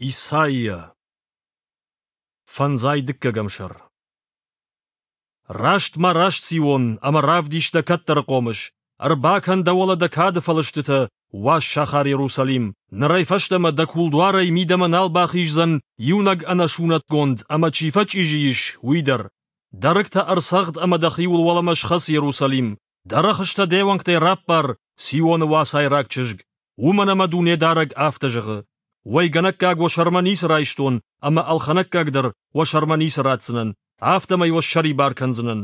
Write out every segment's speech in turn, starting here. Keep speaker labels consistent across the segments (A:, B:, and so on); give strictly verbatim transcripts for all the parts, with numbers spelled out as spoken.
A: Исайя. Фӕндзай дыккӕгӕм сӕр. Раст ма раст, Сион, ӕмӕ равдис дӕ кӕддӕры хъомыс. Ӕрбакӕн дӕ уӕлӕ дӕ кады фӕлыстытӕ, уаз сахар Иерусалим. Нырӕй фӕстӕмӕ дӕ кулдуарӕй мидӕмӕ нал бахиздзӕн иунӕг ӕнӕсунӕтгонд ӕмӕ чи фӕчъизи ис, уый дӕр. Дӕ рыгтӕ ӕрцӕгъд ӕмӕ дӕхиуыл уӕлӕмӕ схӕц, Иерусалим. Дӕ рӕхыстӕ де уӕнгтӕй раппар, Сионы уацайраг чызг. Уымӕн ӕмӕ Дунедарӕг афтӕ зӕгъы: Уӕйгӕнӕггаг уӕ сӕрмӕ ницы райстон ӕмӕ ӕлхӕнӕггаг дӕр уӕ сӕрмӕ ницы ратдзынӕн, афтӕмӕй уӕ ссӕрибар кӕндзынӕн.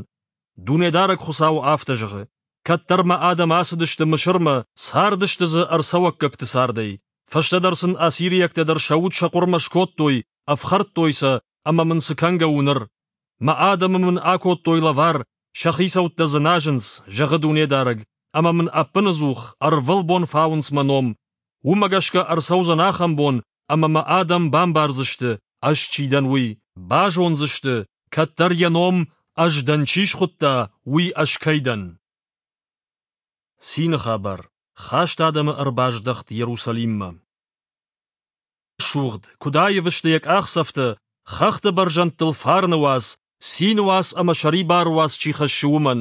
A: Дунедарӕг Хуыцау афтӕ зӕгъы: Кӕддӕр мӕ адӕм ацыдысты Мысырмӕ, цардысты дзы ӕрцӕуӕггӕгты цардӕй. Фӕстӕдӕр сын ассириӕгтӕ дӕр сӕ уд сӕ хъуырмӕ скодтой, ӕфхӕрдтой сӕ, ӕмӕ мын цы кӕнгӕ у ныр? Мӕ адӕмы мын акодтой лӕвар, сӕ хицӕуттӕ дзы назынц, зӕгъы Дунедарӕг, ӕмӕ мын ӕппынӕдзух, ӕрвылбон фауынц мӕ ном. Уымӕ гӕсгӕ ӕрцӕудзӕн ахӕм бон, ӕмӕ мӕ адӕм бамбардзысты, ӕз чи дӕн, уый. Базондзысты, кӕддӕр йӕ ном ӕз дӕн чи схуыдта, уый ӕз кӕй дӕн. Цины хабар. Хаст адӕмы ӕрбаздӕхт Иерусалиммӕ. Рӕсугъд, куыд аив сты йӕ къахдзӕфтӕ, хӕхты бӕрзӕндтыл фарны уац, цины уац ӕмӕ сӕрибары уац чи хӕссы, уымӕн.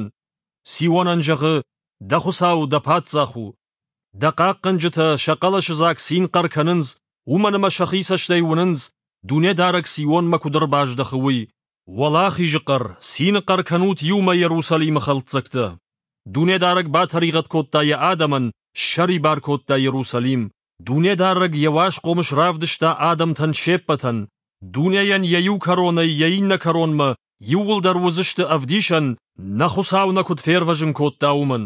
A: Сионӕн зӕгъы, дӕ Хуыцау дӕ паддзах у. Дӕ хъахъхъӕнджытӕ сӕ хъӕлӕсыдзаг цин хъӕр кӕнынц, уымӕн ӕмӕ сӕхи цӕстӕй уынынц, Дунедарӕг Сионмӕ куыд ӕрбаздӕхы, уый. Уӕлахизы хъӕр, цины хъӕр кӕнут иумӕ Иерусалимы хӕлддзӕгтӕ. Дунедарӕг батӕригъӕд кодта йӕ адӕмӕн, ссӕрибар кодта Иерусалим. Дунедарӕг йӕ уаз хъомыс равдыста адӕмтӕн се ппӕтӕн. Дунейӕн йӕ иу кӕронӕй йӕ иннӕ кӕронмӕ иууылдӕр уыдзысты ӕвдисӕн, нӕ Хуыцау нӕ куыд фервӕзын кодта, уымӕн.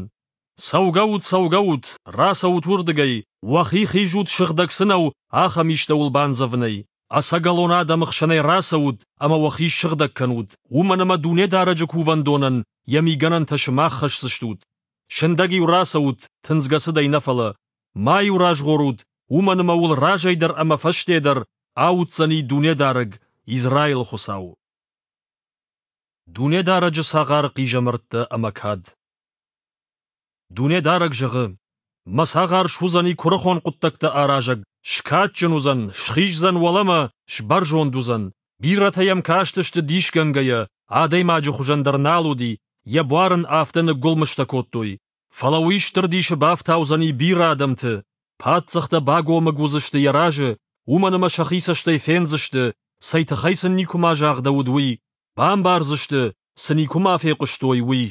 A: Цӕугӕут, цӕугӕут, рацӕут уырдыгӕй, уӕхи хизут сыгъдӕг цы нӕу, ахӕм истӕуыл бандзӕвынӕй. Ӕцӕгӕлон адӕмы хсӕнӕй рацӕут ӕмӕ уӕхи ссыгъдӕг кӕнут, уымӕн ӕмӕ Дунедарӕджы кувӕндонӕн йӕ мигӕнӕнтӕ сымах хӕсдзыстут. Сындӕг-иу рацӕут, тындзгӕ цыдӕй нӕ фӕлӕ. Ма-иу разгъорут, уымӕн ӕмӕ уыл разӕй дӕр ӕмӕ фӕсте дӕр ауддзӕни Дунедарӕг, Израилы Хуыцау. Дунедарӕджы цагъары хъизӕмӕрттӕ ӕмӕ кад. Дунедарӕг зӕгъы: Мӕ цагъар суыдзӕни куырыхон хъуыддӕгтӕ аразӕг, скадджын уыдзӕн, схиздзӕн уӕлӕмӕ, сбӕрзонд уыдзӕн. Бирӕтӕ йӕм кастысты дисгӕнгӕйӕ, адӕймаджы хуызӕн дӕр нал уыди, йӕ буар ын афтӕ ныггуылмызтӕ кодтой. Фӕлӕ уый стыр дисы бафтаудзӕни бирӕ адӕмты, паддзӕхтӕ багомыг уыдзысты йӕ разы, уымӕн ӕмӕ сӕхи цӕстӕй фендзысты, цӕй тыххӕй сын никуыма загъдӕуыд, уый, бамбардзысты, цы никуыма фехъуыстой, уый.